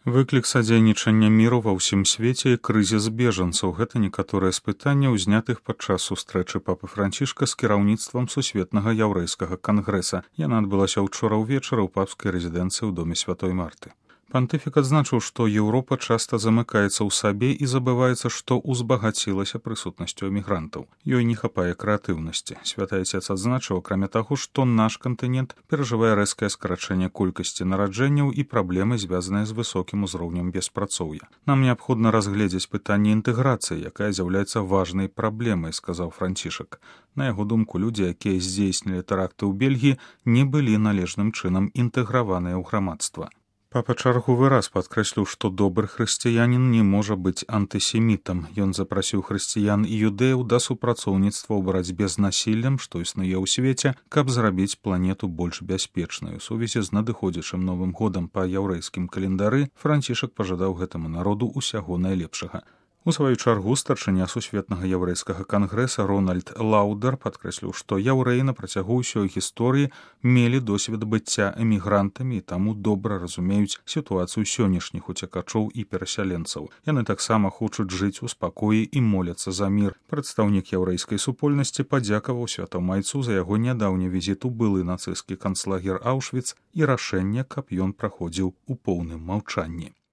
Выклік садзейнічання міру ва ўсім свеце і крызіс бежанцаў — гэта некаторыя з пытанняў, узнятых падчас сустрэчы папы Францішка з кіраўніцтвам Сусветнага яўрэйскага кангрэса. Яна адбылася ўчора ўвечары ў папскай рэзідэнцыі ў доме святой Марты. Пантыфік адзначыў, што Еўропа часта замыкаецца ў сабе і забываецца, што ўзбагацілася прысутнасцю эмігрантаў. Ёй не хапае крэатыўнасці. Святы Ацец адзначыў, акрамя таго, што наш кантынент перажывае рэзкае скарачэнне колькасці нараджэнняў і праблемы, звязаныя з высокім узроўнем беспрацоўя. Нам неабходна разгледзець пытанне інтэграцыі, якая з'яўляецца важнай праблемай, сказаў Францішак. На яго думку, людзі, якія здзейснілі тэракты ў Бельгіі, не былі належным чынам інтэграваныя ў грамадства. Папа чарговы раз падкрэсліў, што добры хрысціянін не можа быць антысемітам. Ён запрасіў хрысціян і юдэяў да супрацоўніцтва ў барацьбе з насіллем, што існуе ў свеце, каб зрабіць планету больш бяспечнай. У сувязі з надыходзячым Новым годам па яўрэйскім календары Францішак пажадаў гэтаму народу ўсяго найлепшага. У сваю чаргу старшыня Сусветнага яўрэйскага кангрэса Рональд Лаўдер падкрэсліў, што яўрэі на працягу ўсёй гісторыі мелі досвед быцця эмігрантамі і таму добра разумеюць сітуацыю сённяшніх уцекачоў і перасяленцаў. Яны таксама хочуць жыць у спакоі і моляцца за мір. Прадстаўнік яўрэйскай супольнасці падзякаваў святому айцу за яго нядаўні візіт у былы нацысцкі канцлагер Аўшвіц і рашэнне, каб ён праходзіў у поўным маўчанні.